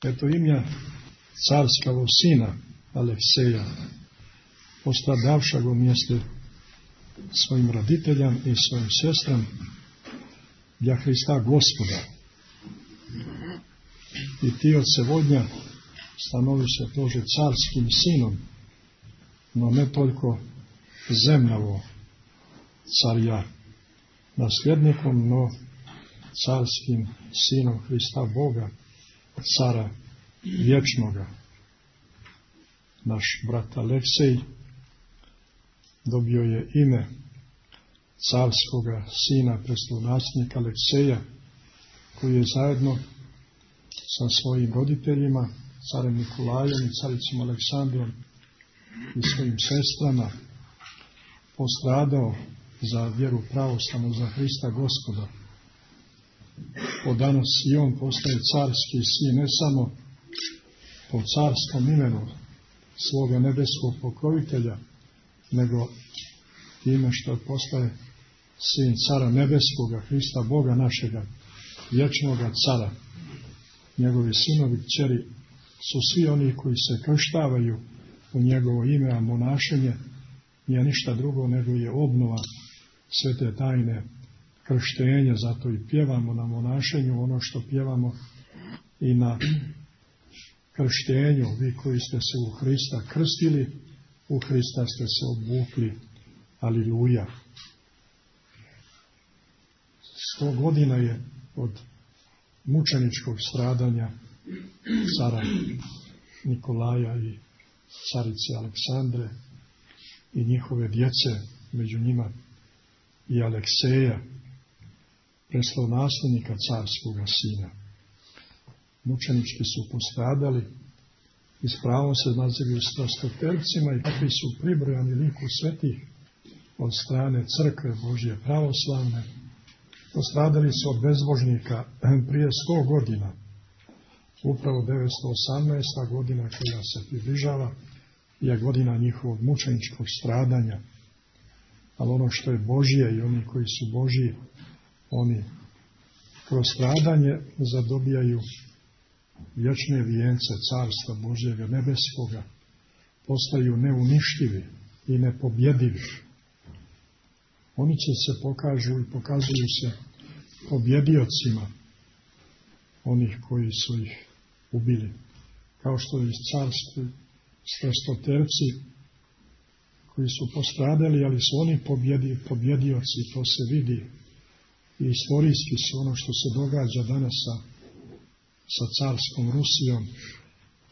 Eto imja carskavog sina Alekseja, postradavša go mjeste svojim roditeljam i svojim sestram, bja Hrista Gospoda. I ti od sevodnja stanovi se tože carskim sinom, no ne toliko zemljavo carja nasljednikom, no carskim sinom Hrista Boga, cara vječnoga. Naš brat Aleksej dobio je ime carskoga sina prestolonaslednika Alekseja, koji je zajedno sa svojim roditeljima, carem Nikolajem i caricom Aleksandrom i svojim sestrama postradao za vjeru pravoslavnu, za Hrista Gospoda. Od danas i on postaje carski sin, ne samo po carskom imenu svoga nebeskog pokrovitelja, nego time što postaje sin cara nebeskoga, Hrista Boga našega, vječnoga cara. Njegovi sinovi, kćeri su svi oni koji se krštavaju u njegovo ime, a monašenje nije ništa drugo nego je obnova svete tajne krštenja. Zato i pjevamo na monašenju ono što pjevamo i na krštenju. Vi koji ste se u Hrista krstili, u Hrista ste se obukli. Aliluja. 100 godina je od mučeničkog stradanja cara Nikolaja i carice Aleksandre i njihove djece, među njima i Alekseja, prestolonaslednika carskoga sina. Mučenički su postradali i s pravom se nazivaju strastotercima i takvi su pribrojani liku svetih od strane crkve Božje pravoslavne. Postradali su od bezbožnika prije 100 godina. Upravo 918. godina koja se približava je godina njihovog mučeničkog stradanja. Ali ono što je Božje i oni koji su Božji, oni kroz stradanje zadobijaju vječne vijence carstva Božjega nebeskoga, postaju neuništivi i nepobjedivi. Oni će se pokazuju se pobjediocima onih koji su ih ubili. Kao što i carski strastoterci koji su postradali, ali su oni pobjedioci, to se vidi. I istorijski su ono što se događa danas sa carskom Rusijom.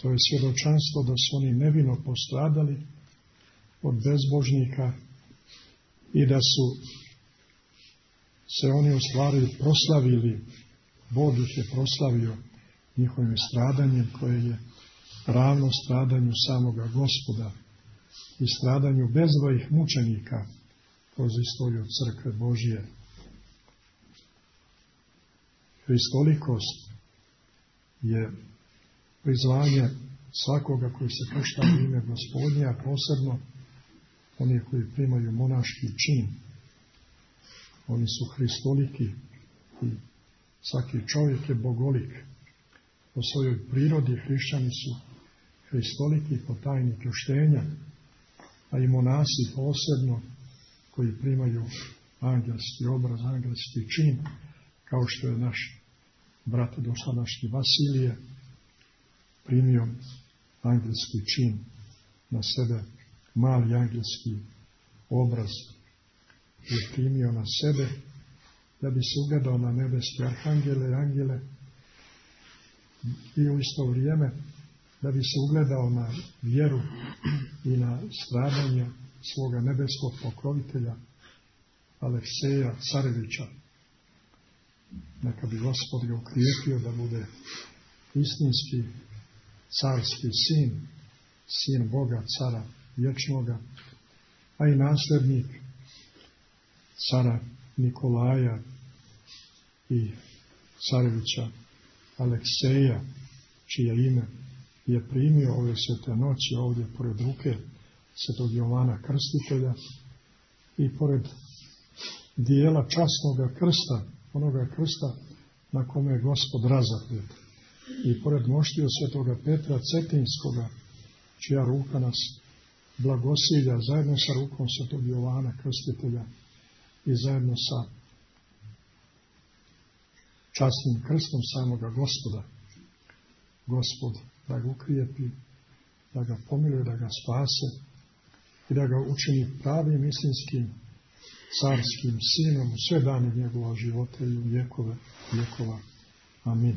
To je svjedočanstvo da su oni nevino postradali od bezbožnika i da su se oni u stvari proslavili. Bog ih je proslavio njihovim stradanjem koje je ravno stradanju samoga Gospoda i stradanju bezbrojnih mučenika kroz istoriju crkve Božje. Hristolikost je prizvanje svakoga koji se kršta u ime Gospodnja, a posebno oni koji primaju monaški čin. Oni su hristoliki i svaki čovjek je bogolik. Po svojoj prirodi hrišćani su hristoliki po tajni krštenja, a i monasi posebno koji primaju angelski obraz, angelski čin, kao što je naš brat dosadašnji Vasilije primio angelski čin na sebe, mali angelski obraz je primio na sebe da bi se ugledao na nebeske arhangele i angele i u isto vrijeme da bi se ugledao na vjeru i na stradanje svoga nebeskog pokrovitelja Alekseja Carevića. Neka bi Gospod ga ukrijepio da bude istinski carski sin, sin Boga, cara vječnoga, a i nasljednik cara Nikolaja i carevića Alekseja, čije ime je primio ove svete noći ovdje pored ruke svetog Jovana Krstitelja i pored dijela časnoga krsta, onoga krsta na kome je Gospod razapet. i pored moštiju svetoga Petra Cetinskoga, čija ruka nas blagosilja, zajedno sa rukom svetog Jovana Krstitelja i zajedno sa časnim krstom samoga Gospoda. Gospod da ga ukrijepi, da ga pomiluje, da ga spase i da ga učini pravim istinskim carskim sinom u sve dane njegova života i u vjekova. Amin.